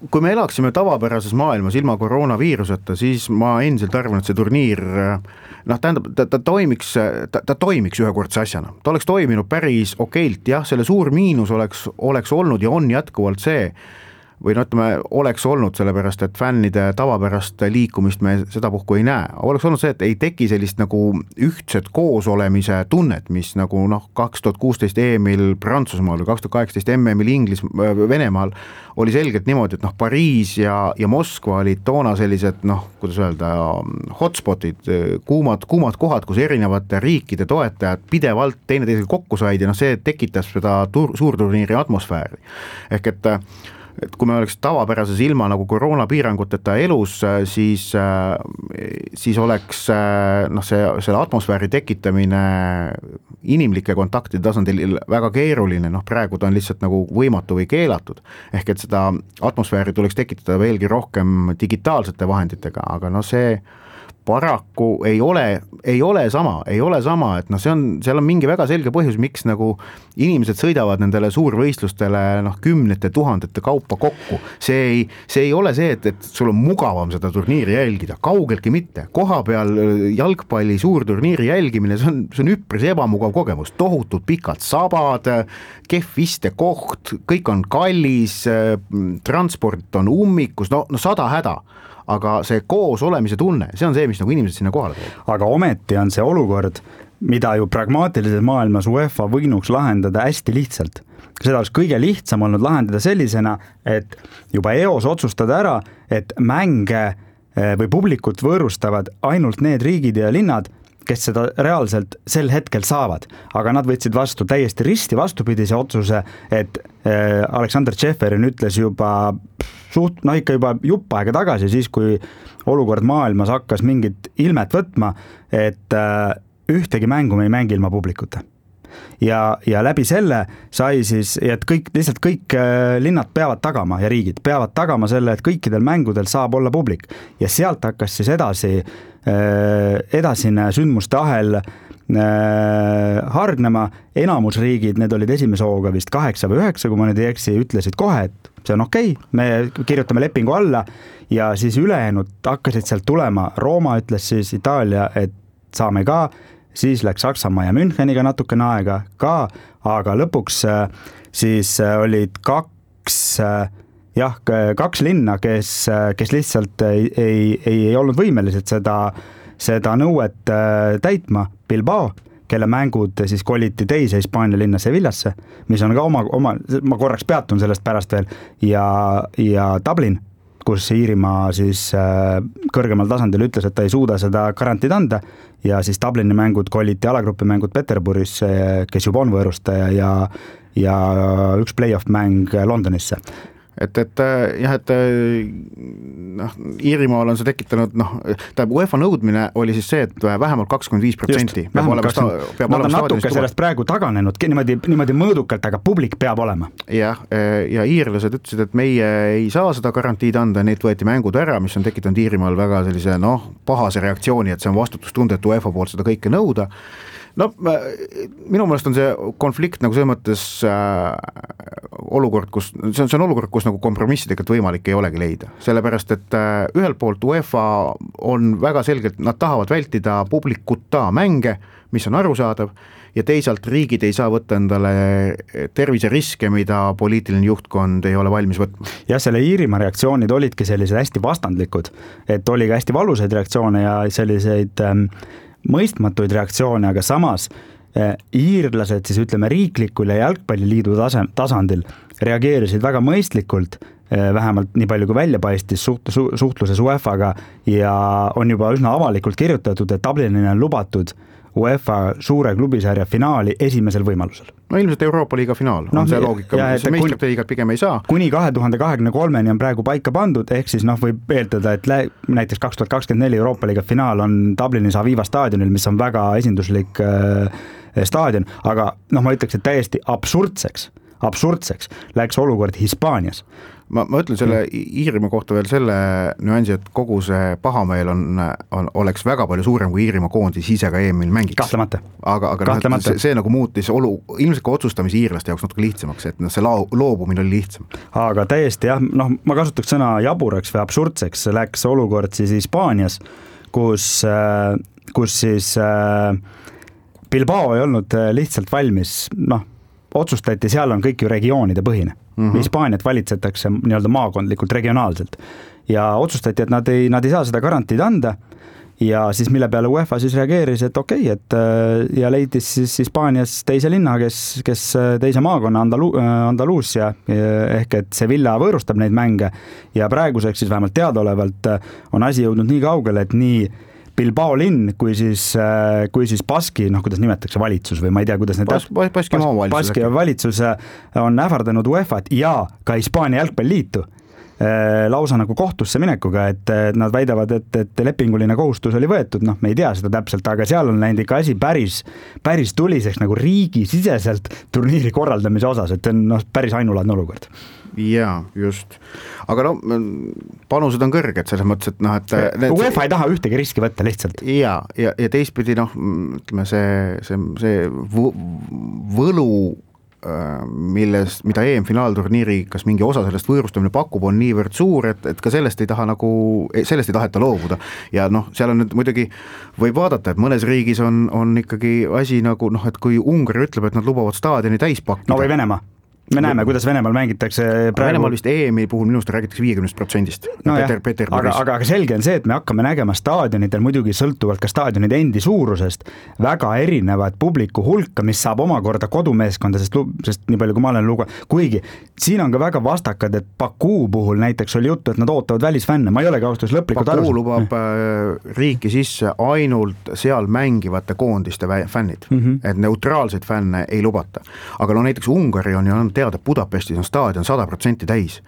Kui me elaksime tavapärases maailmas ilma koroonaviiruseta, siis ma endiselt arvan, et see turniir tähendab, ta toimiks ühekordse asjana. Ta oleks toiminud päris okeilt, jah, selle suur miinus oleks olnud ja on jätkuvalt see, või oleks olnud sellepärast, et fännide tavapärast liikumist me seda puhku ei näe. Oleks olnud see, et ei teki sellist nagu ühtset koosolemise tunnet, mis nagu 2016 EM-il Prantsusmaal või 2018 MM-il Venemaal oli selgelt niimoodi, et Pariis ja Moskva olid toona sellised, kuidas öelda, hotspotid, kuumad kohad, kus erinevate riikide toetajad pidevalt teineteisega kokku said ja see tekitas seda suurturniiri atmosfääri. Ehk et kui me oleks tavapärases ilma nagu koroonapiiranguteta elus, siis oleks selle atmosfääri tekitamine inimlike kontaktide tasandil väga keeruline, praegu ta on lihtsalt nagu võimatu või keelatud. Ehk et seda atmosfääri tuleks tekitada veelgi rohkem digitaalsete vahenditega, aga see paraku ei ole sama, et seal on mingi väga selge põhjus, miks nagu inimesed sõidavad nendele suurvõistlustele 10,000 kaupa kokku. See ei ole see, et sul on mugavam seda turniiri jälgida, kaugeltki mitte. Koha peal jalgpalli suurturniiri jälgimine, see on üpris ebamugav kogemus, tohutult pikad sabad, kehv istekoht, kõik on kallis, transport on ummikus, 100 häda. Aga see koos olemise tunne, see on see, mis nagu inimesed sinna kohale teeb. Aga ometi on see olukord, mida ju pragmaatilises maailmas UEFA võinuks lahendada hästi lihtsalt. Seda oleks kõige lihtsam olnud lahendada sellisena, et juba EOS otsustada ära, et mänge või publikut võõrustavad ainult need riigid ja linnad, kes seda reaalselt sel hetkel saavad. Aga nad võtsid vastu täiesti risti vastupidise otsuse, et Aleksander Tšeferin ütles juba ikka juba jupp aega tagasi, siis kui olukord maailmas hakkas mingit ilmet võtma, et ühtegi mängu me ei mängi ilma publikuta. Ja läbi selle sai siis, et kõik linnad peavad tagama ja riigid peavad tagama selle, et kõikidel mängudel saab olla publik. Ja sealt hakkas siis edasine sündmuste ahel hargnema, enamus riigid, need olid esimese hooga vist 8 või 9, kui ma nüüd ei eksi, ütlesid kohe, et see on okei, me kirjutame lepingu alla ja siis ülejäänud hakkasid sealt tulema, Rooma ütles siis Itaalia, et saame ka, siis läks Saksamaa ja Müncheniga natukene aega ka, aga lõpuks siis olid kaks linna, kes lihtsalt ei olnud võimelised seda nõuet täitma. Bilbao, kelle mängud siis koliti teise Hispaania linna Sevillasse, mis on ka oma, ma korraks peatun sellest pärast veel, ja Dublin, kus Iirimaa siis kõrgemal tasandil ütles, et ta ei suuda seda garantiid anda ja siis Dublini mängud koliti alagrupi mängud Peterburis, kes juba on võõrustaja ja üks play-off mäng Londonisse. Et Iirimaal on see tekitanud, UEFA nõudmine oli siis see, et vähemalt 25% peab olema nad on natuke sellest praegu taganenud, niimoodi mõõdukalt, aga publik peab olema. Ja iirlased ütlesid, et meie ei saa seda garantiid anda, neid võeti mängud ära, mis on tekitanud Iirimaal väga sellise pahase reaktsiooni, et see on vastutustundetu UEFA poolt seda kõike nõuda. Minu meelest on see konflikt nagu selles mõttes olukord, kus see on olukord, kus nagu kompromissidega võimalik ei olegi leida, sellepärast et ühelt poolt UEFA on väga selgelt, nad tahavad vältida publikuta mänge, mis on arusaadav, ja teisalt riigid ei saa võtta endale terviseriske, mida poliitiline juhtkond ei ole valmis võtma. Ja selle Iirimaa reaktsioonid olidki sellised hästi vastandlikud, et oli ka hästi valusaid reaktsioone ja selliseid mõistmatuid reaktsioone, aga samas iirlased siis ütleme riiklikul ja jalgpalliliidu tasandil reageerisid väga mõistlikult, vähemalt nii palju kui välja paistis suhtluses UEFA-ga ja on juba üsna avalikult kirjutatud, et Dublinile on lubatud UEFA suure klubisarja finaali esimesel võimalusel. Ilmselt Euroopa liiga finaal on see loogika, see meistrite liigat pigem ei saa. Kuni 2023 on praegu paika pandud, ehk siis võib eeldada, et näiteks 2024 Euroopa liiga finaal on Dublinis Aviva staadionil, mis on väga esinduslik staadion, aga ma ütleks, et täiesti absurdseks läks olukord Hispaanias. Ma ütlen selle Iirimaa kohta veel selle nüansi, et kogu see pahameel oleks väga palju suurem, kui Iirimaa koondis ise ka EM-il mängiks. Kahtlemata. Aga see nagu muutis ilmselt ka otsustamise iirlaste jaoks natuke lihtsamaks, et see loobumine oli lihtsam. Aga täiesti jah, ma kasutaks sõna jaburaks või absurdseks, läks olukord siis Hispaanias, kus siis Bilbao ei olnud lihtsalt valmis, otsustati, seal on kõik ju regioonide põhine. Hispaaniat valitsetakse nii-öelda maakondlikult, regionaalselt. Ja otsustati, et nad ei saa seda garantiid anda ja siis mille peale UEFA siis reageeris, et okei, ja leidis siis Hispaanias teise linna, kes teise maakonna Andaluusia, ehk et Sevilla võõrustab neid mänge ja praeguseks siis vähemalt teadaolevalt on asi jõudnud nii kaugele, et nii Bilbao linn, kui siis Baski, kuidas nimetatakse valitsus või ma ei tea, kuidas need Baski valitsus on ähvardanud UEFA-t ja ka Hispaania jalgpalliliitu lausa nagu kohtusse minekuga, et nad väidavad, et lepinguline kohustus oli võetud, me ei tea seda täpselt, aga seal on läinud ikka asi päris tuliseks nagu riigisiseselt turniiri korraldamise osas, et on päris ainulaadne olukord. Jaa, just. Aga panused on kõrged selles mõttes, et UEFA ei taha ühtegi riski võtta lihtsalt. Ja teistpidi, ütleme see võlu, mida EM-finaalturniiri, kas mingi osa sellest võõrustamine pakub, on niivõrd suur, et ka sellest ei taheta loobuda. Ja seal on nüüd muidugi, võib vaadata, et mõnes riigis on ikkagi asi nagu, et kui Ungari ütleb, et nad lubavad staadioni täis pakkida. Või Venemaa. Me näeme, kuidas Venemaal mängitakse praegu. Venemaal vist EM-i puhul minust räägitakse 50%. Aga selge on see, et me hakkame nägema staadionidel muidugi sõltuvalt ka staadionide endi suurusest väga erinevat publiku hulka, mis saab omakorda kodumeeskonda, sest nii palju kui ma olen kuigi siin on ka väga vastakad, et Baku puhul näiteks oli juttu, et nad ootavad välisfänne, ma ei ole ka austus lõplikult Baku lubab riiki sisse ainult seal mängivate koondiste fännid, et neutraalseid fänne ei lubata. Aga näiteks Ungari on teada, Budapestis on staadion 100% täis.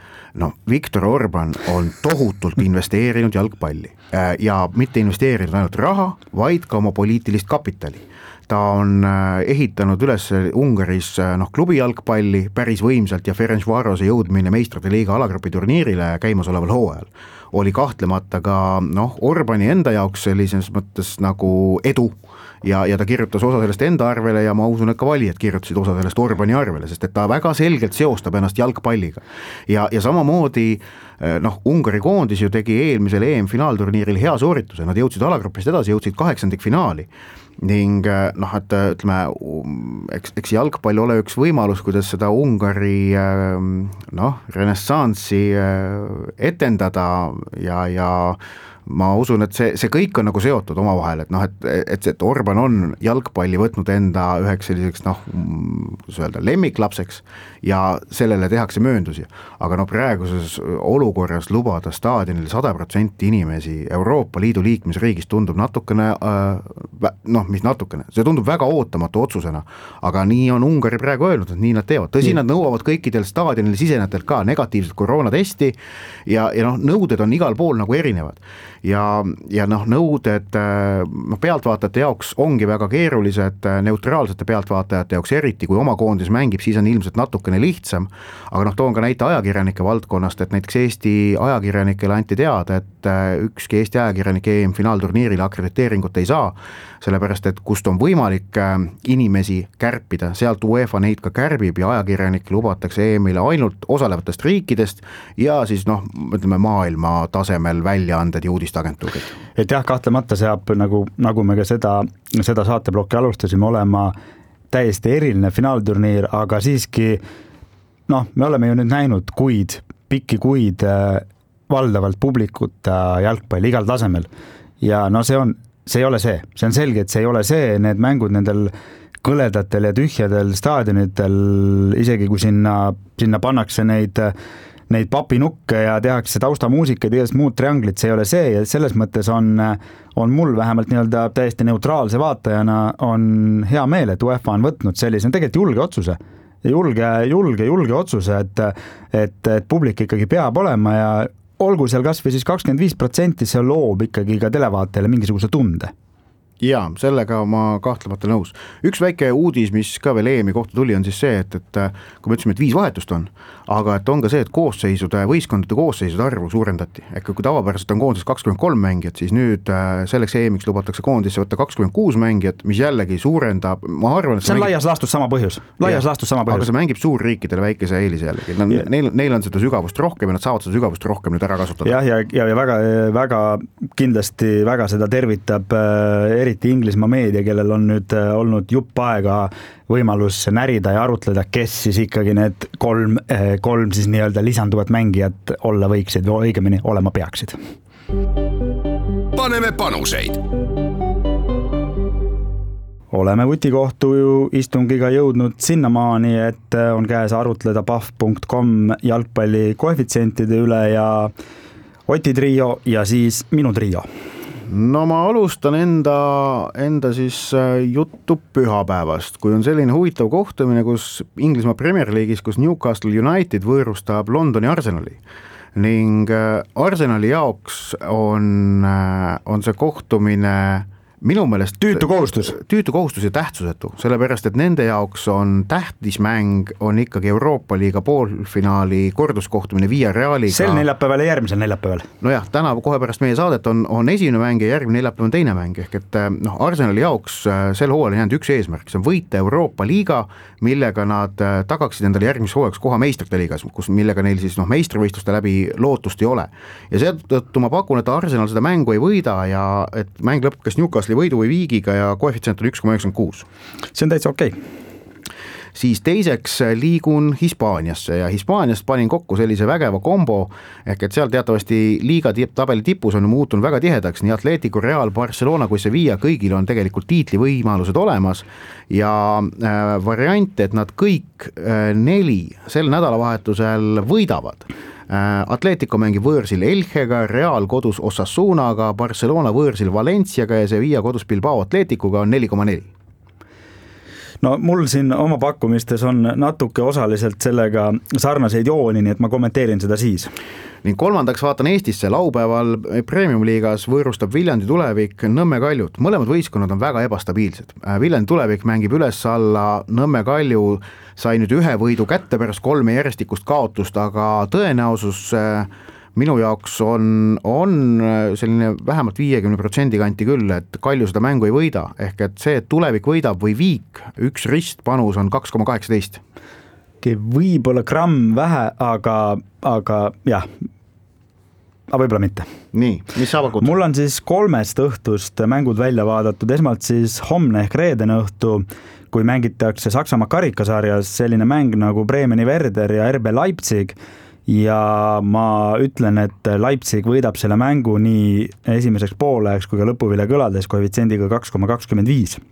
Viktor Orban on tohutult investeerinud jalgpalli ja mitte investeerinud ainult raha, vaid ka oma poliitilist kapitali. Ta on ehitanud üles Ungaris klubi jalgpalli päris võimsalt ja Ferencvarose jõudmine meistrite liiga alagrupi turniirile käimasoleval hooajal oli kahtlemata ka Orbani enda jaoks sellises mõttes nagu edu ja ta kirjutas osa sellest enda arvele ja ma usun, et ka valijad kirjutasid osa sellest Orbani arvele, sest et ta väga selgelt seostab ennast jalgpalliga ja samamoodi Ungari koondis ju tegi eelmisel EM-finaalturniiril hea soorituse, nad jõudsid alagrupist edasi, jõudsid 8. finaali ning et ütleme, eks jalgpall ole üks võimalus, kuidas seda Ungari renessanssi etendada ja ma usun, et see kõik on nagu seotud omavahel, et Orban on jalgpalli võtnud enda üheks selliseks kuidas öelda, lemmiklapseks ja sellele tehakse mööndusi, aga praeguses olukorras lubada staadionil 100% inimesi Euroopa Liidu liikmesriigis tundub natukene, see tundub väga ootamatu otsusena, aga nii on Ungari praegu öelnud, et nii nad teevad, tõsi, nad nõuavad kõikidel staadionil sisenejatelt ka negatiivset koroonatesti ja nõuded on igal pool nagu erinevad ja nõuded pealtvaatajate jaoks ongi väga keerulised, neutraalsete pealtvaatajate jaoks eriti, kui oma koondis mängib, siis on ilmselt natukene lihtsam, aga toon ka näite ajakirjanike valdkonnast, et näiteks Eesti ajakirjanikele anti teada, et ükski Eesti ajakirjanik EM-finaalturniiril akrediteeringut ei saa, sellepärast, et kust on võimalik inimesi kärpida, sealt UEFA neid ka kärbib ja ajakirjanik lubatakse EM-ile ainult osalevatest riikidest ja siis ütleme maailma tasemel väljaanded ja uudisteagentuurid. Et jah, kahtlemata seab, nagu me ka seda saateplokki alustasime, olema täiesti eriline finaalturniir, aga siiski me oleme ju nüüd näinud pikki kuid valdavalt publikut jalgpalli igal tasemel ja see ei ole see on selge, et see ei ole see, need mängud nendel kõledatel ja tühjadel staadionitel, isegi kui sinna pannakse neid papinukke ja tehakse taustamuusikaid ja muud trianglit, see ei ole see ja selles mõttes on mul vähemalt nii-öelda täiesti neutraalse vaatajana on hea meel, et UEFA on võtnud sellise tegelikult julge otsuse, et publik ikkagi peab olema ja olgu seal kas või siis 25%, see loob ikkagi ka televaatajale mingisuguse tunde. Jaa, sellega ma kahtlemata nõus. Üks väike uudis, mis ka veel EM-i kohta tuli, on siis see, et kui me ütlesime, et 5 vahetust on, aga et on ka see, et võistkondade koosseisude arvu suurendati. Ehk kui tavapäraselt on koondises 23 mängijat, siis nüüd selleks EM-iks lubatakse koondisse võtta 26 mängijat, mis jällegi suurendab, ma arvan, et see on laias laastus sama põhjus. Aga see mängib suurriikidele väikese eelise jällegi. Neil on seda sügavust rohkem ja nad saavad seda sügavust rohkem nüüd ära kasutada. Ja väga, väga kindlasti väga seda tervitab eriti Inglismaa meedia, kellel on nüüd olnud jupp aega võimalus närida ja arutleda, kes siis ikkagi need kolm siis nii-öelda lisanduvat mängijat olla võiksid või õigemini olema peaksid. Paneme panuseid. Oleme Vutikohtu istungiga jõudnud sinnamaani, et on käes arutleda pahv.com jalgpalli koefitsientide üle ja Oti trio ja siis minu trio. No ma alustan enda siis juttu pühapäevast, kui on selline huvitav kohtumine, kus Inglismaa Premier League'is, kus Newcastle United võõrustab Londoni Arsenali ning Arsenali jaoks on see kohtumine minu meelest tüütu kohustus ja tähtsusetu, sellepärast, et nende jaoks on tähtis mäng, on ikkagi Euroopa Liiga poolfinaali korduskohtumine Villarrealiga. Sel neljapäeval ja järgmisel neljapäeval. No jah, täna kohe pärast meie saadet on esimene mäng ja järgmine neljapäev on teine mäng, ehk et Arsenali jaoks sel hooajal on jäänud üks eesmärk, see on võita Euroopa Liiga, millega nad tagaksid endale järgmiseks hooajaks koha meistrite liigas, millega neil siis meistrivõistluste läbi lootust ei ole. Ja seetõttu ma pakun, et Arsenal seda mängu ei võida ja et mäng lõpeb kas Newcastle võidu või viigiga ja koefitsient on 1,96. See on täitsa okei. Siis teiseks liigun Hispaaniasse ja Hispaaniast panin kokku sellise vägeva kombo, ehk et seal teatavasti liiga tabeli tipus on muutunud väga tihedaks, nii Atletico, Real, Barcelona kui Sevilla, kõigil on tegelikult tiitlivõimalused olemas ja variant, et nad kõik 4 sel nädalavahetusel võidavad. Atletico mängib võõrsil Elchega, Real kodus Osasunaga, Barcelona võõrsil Valenciaga ja Sevilla kodus Bilbao Atleticuga on 4,4. No mul siin oma pakkumistes on natuke osaliselt sellega sarnaseid jooni, nii et ma kommenteerin seda siis. Ning kolmandaks vaatan Eestisse, laupäeval Premium-liigas võõrustab Viljandi Tulevik Nõmme Kaljut. Mõlemad võistkonnad on väga ebastabiilsed. Viljandi Tulevik mängib üles alla, Nõmme Kalju sai nüüd 1 võidu kätte pärast 3 järjestikust kaotust, aga tõenäosus minu jaoks on selline vähemalt 50% kanti küll, et Kalju seda mängu ei võida, ehk et see, et Tulevik võidab või Viik, üks ristpanus on 2,18. Võib-olla gramm vähe, aga jah, aga võib-olla mitte. Nii, mis sa pakud? Mul on siis 3 õhtust mängud välja vaadatud, esmalt siis homne ehk reedene õhtu, kui mängitakse Saksamaa karikasarjas selline mäng nagu Bremeni Werder ja RB Leipzig ja ma ütlen, et Leipzig võidab selle mängu nii esimeseks pooleks kui ka lõpuvile kõlades koefitsiendiga 2,25.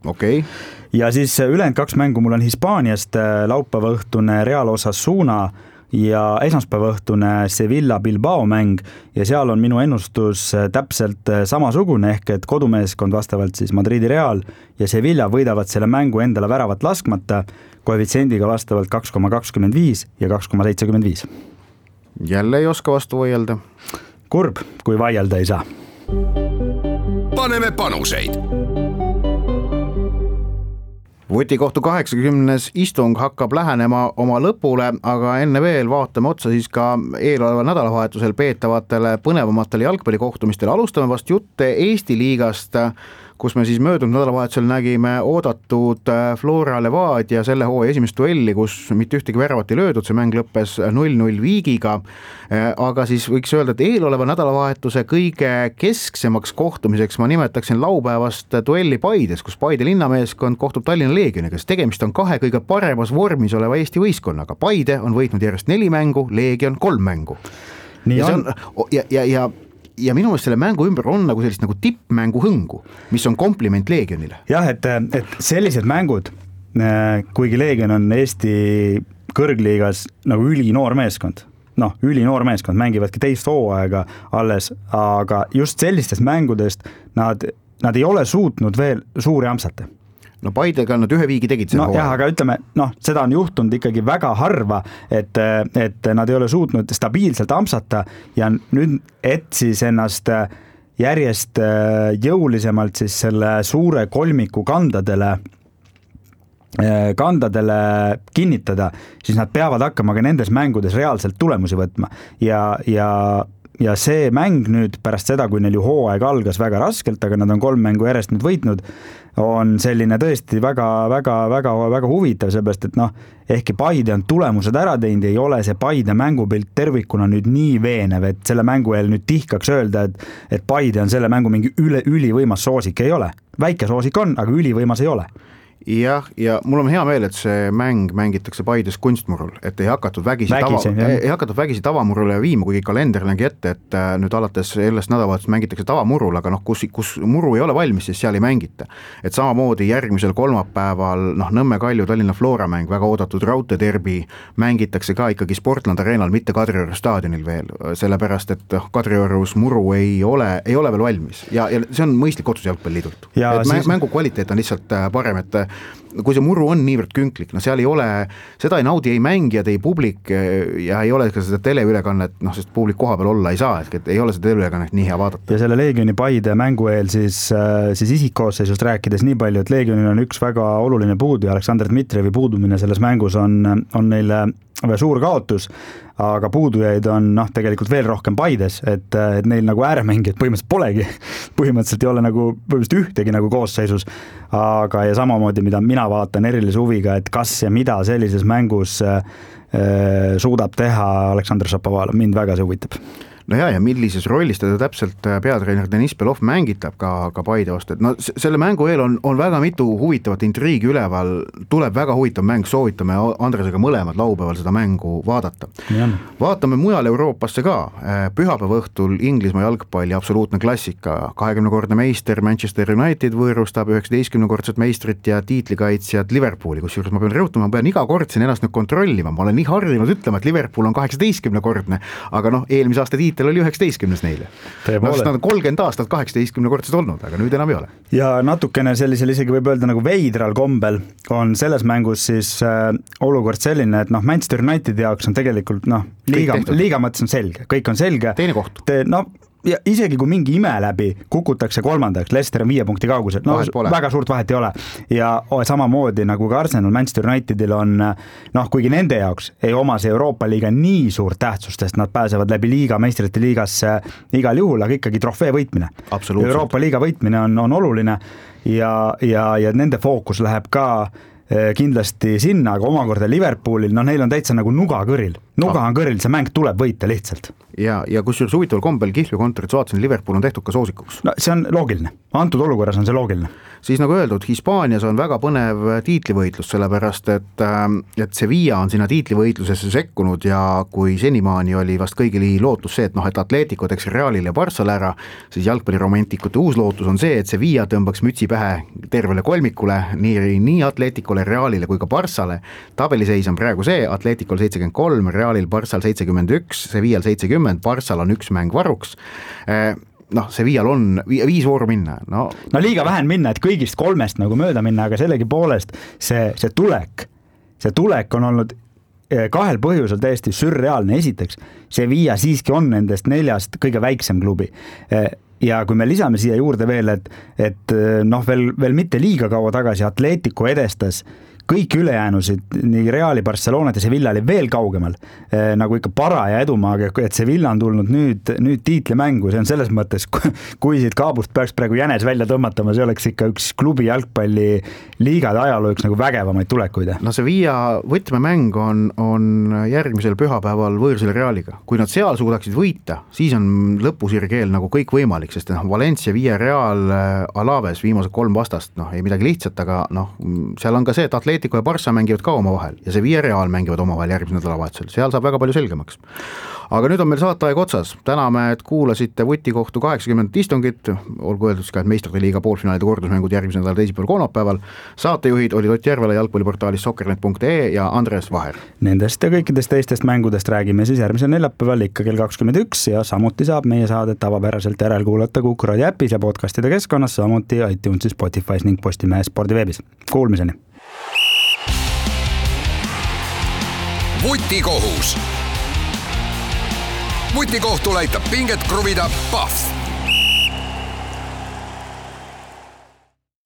Okei. Ja siis ülejäänud 2 mängu mul on Hispaaniast laupäeva õhtune Real Osasuna ja esmaspäeva õhtune Sevilla Bilbao mäng ja seal on minu ennustus täpselt samasugune ehk et kodumeeskond vastavalt siis Madridi Real ja Sevilla võidavad selle mängu endale väravat laskmata koefitsiendiga vastavalt 2,25 ja 2,75. Jälle ei oska vastu võielda. Kurb, kui vaielda ei saa. Paneme panuseid. Vutikohtu 80. istung hakkab lähenema oma lõpule, aga enne veel vaatame otsa siis ka eeloleval nädalavahetusel peetavatele põnevamatele jalgpallikohtumistele. Alustame vast jutte Eesti liigast, kus me siis möödunud nädalavahetusel nägime oodatud Flora Levadia selle hooaja esimest duelli, kus mitte ühtegi väravat ei löödud, see mäng lõppes 0-0 Viigiga, aga siis võiks öelda, et eeloleva nädalavahetuse kõige kesksemaks kohtumiseks ma nimetaksin laupäevast duelli Paides, kus Paide linnameeskond kohtub Tallinna Leegioniga, sest tegemist on 2 kõige paremas vormis oleva Eesti võistkonnaga. Paide on võitnud järjest 4 mängu, Leegion 3 mängu. Nii ja on. Ja minu meelest selle mängu ümber on nagu sellist nagu tippmängu hõngu, mis on kompliment Leegionile. Jah, et sellised mängud, kuigi Leegion on Eesti kõrgliigas nagu ülinoor meeskond, ülinoor meeskond, mängivadki teist hooaega alles, aga just sellistest mängudest nad ei ole suutnud veel suuri ampsata. No Paidega nad 1 viigi tegid selle hooaja. Jah, aga ütleme, seda on juhtunud ikkagi väga harva, et nad ei ole suutnud stabiilselt ampsata ja nüüd, et siis ennast järjest jõulisemalt siis selle suure kolmiku kandadele kinnitada, siis nad peavad hakkama ka nendes mängudes reaalselt tulemusi võtma ja see mäng nüüd pärast seda, kui neil ju hooaeg algas väga raskelt, aga nad on 3 mängu järjest nüüd võitnud, on selline tõesti väga huvitav, seepärast, et ehkki Paide on tulemused ära teinud, ei ole see Paide mängupilt tervikuna nüüd nii veenev, et selle mängu eel nüüd tihkaks öelda, et Paide on selle mängu mingi ülivõimas soosik, ei ole. Väike soosik on, aga ülivõimas ei ole. Jah, ja mul on hea meel, et see mäng mängitakse Paides kunstmurul, et ei hakatud vägisi tavamurule viima, kuigi kalender nägi ette, et nüüd alates sellest nädalavahetusest mängitakse tavamurul, aga kus muru ei ole valmis, siis seal ei mängita. Et samamoodi järgmisel kolmapäeval Nõmme Kalju Tallinna Flora mäng, väga oodatud raudteederbi, mängitakse ka ikkagi Sportland Arenal, mitte Kadrioru staadionil veel, sellepärast, et Kadriorus muru ei ole veel valmis ja see on mõistlik otsus jalgpalliliidult. Mängu kvaliteet on lihtsalt parem, et kui see muru on niivõrd künklik, seal ei ole, seda ei naudi ei mängijad, ei publik ja ei ole ka seda teleülekannet, sest publik koha peal olla ei saa, et ei ole seda teleülekannet nii hea vaadata. Ja selle Leegioni Paide mängu eel siis isikkoosseisust rääkides nii palju, et Leegionil on üks väga oluline puudu ja Aleksandr Dmitrijevi puudumine selles mängus on neile suur kaotus, aga puudujaid on tegelikult veel rohkem Paides, et neil nagu ääremängijaid põhimõtteliselt ei ole nagu ühtegi nagu koosseisus, aga ja samamoodi, mida mina vaatan erilise huviga, et kas ja mida sellises mängus suudab teha Aleksandr Šapovalov, mind väga see huvitab. No ja millises rollis teda täpselt peatreener Deniss Belov mängitab ka Paide vastu, et selle mängu eel on väga mitu huvitavat intriigi üleval, tuleb väga huvitav mäng, soovitame Andresega mõlemad laupäeval seda mängu vaadata. Vaatame mujal Euroopasse ka, pühapäeva õhtul Inglismaa jalgpalli absoluutne klassika, 20-kordne meister Manchester United võõrustab 19-kordset meistrit ja tiitlikaitsjad Liverpooli, kusjuures ma pean rõhutama, ma pean iga kord siin ennast nüüd kontrollima, ma olen nii harjunud ütlema, et Liverpool on 18-kordne, aga eelmise aasta tiitel oli 19 neile. Nad on 30 aastat 18-kordsed olnud, aga nüüd enam ei ole. Ja natukene sellisel isegi võib öelda nagu veidral kombel on selles mängus siis olukord selline, et Manchester Unitedi jaoks on tegelikult liiga mõttes on selge, kõik on selge. Teine koht. ja isegi kui mingi ime läbi kukutakse kolmandaks, Leicester on 5 punkti kaugusel, no väga suurt vahet ei ole. Ja samamoodi nagu ka Arsenal, Manchester Unitedil on, kuigi nende jaoks ei oma see Euroopa liiga nii suurt tähtsust, sest nad pääsevad läbi liiga, meistrite liigasse igal juhul, aga ikkagi trofee võitmine. Euroopa liiga võitmine on oluline ja nende fookus läheb ka kindlasti sinna, aga omakorda Liverpoolil, neil on täitsa nagu nuga kõril, see mäng tuleb võita lihtsalt. Ja kusjuures huvitaval kombel Kihlu kontorit vaatasin, Liverpool on tehtud ka soosikuks. No see on loogiline, antud olukorras on see loogiline. Siis nagu öeldud, Hispaanias on väga põnev tiitlivõitlus, sellepärast et Sevilla on sinna tiitlivõitlusesse sekkunud ja kui senimaani oli vast kõigil lootus see, et Atletico teeks Realile ja Barssale ära, siis jalgpalliromantikute uus lootus on see, et Sevilla tõmbaks mütsi pähe tervele kolmikule, nii Atleticole, Realile kui ka Barssale. Tabeliseis on praegu see, Atleticol 73, Realil Barssal 71, Sevillal 70, Barssal on 1 mäng varuks. Sevillal on 5 vooru minna. No liiga vähen minna, et kõigist 3 nagu mööda minna, aga sellegi poolest see tulek on olnud 2 põhjusel täiesti sürreaalne. Esiteks, Sevilla siiski on nendest 4 kõige väiksem klubi. Ja kui me lisame siia juurde veel, et veel mitte liiga kaua tagasi Atletico edestas kõik ülejäänusid, nii Reali, Barcelonat ja Sevilla oli veel kaugemal, nagu ikka paraja edumaaga, et Sevilla on tulnud nüüd tiitlimängu, see on selles mõttes, kui siit kaabust peaks praegu jänes välja tõmmatama, see oleks ikka üks klubi jalgpalli liigade ajaloo üks nagu vägevamaid tulekuid. Sevilla võtmemäng on järgmisel pühapäeval võõrsil Realiga. Kui nad seal suudaksid võita, siis on lõpusirgeel nagu kõik võimalik, sest Valencia, Villarreal, Alaves viimased 3 vastast, ei midagi lihtsat, aga seal on ka see, et Atletico ja Barça mängivad ka omavahel ja see Villarreal mängivad omavahel järgmise nädalavahetusel, seal saab väga palju selgemaks. Aga nüüd on meil saateaeg otsas, täname, et kuulasite Vutikohtu 80 istungit, olgu öeldud ka, et meistrite liiga poolfinaalide kordusmängud järgmise nädala teisipäeval kolmapäeval. Saatejuhid oli Ott Järvela jalgpalliportaalis soccernet.ee ja Andres Vaher. Nendest ja kõikidest teistest mängudest räägime siis järgmisel neljapäeval ikka kell 21 ja samuti saab meie saadet tavapäraselt järelkuulata Kuku Raadio äpis ja podcastide keskkonnas, samuti iTunesis, Spotify's ning Postimehe spordiveebis. Kuulmiseni! Vutikohus. Vutikohtul aitab pinget kruvida Pahv.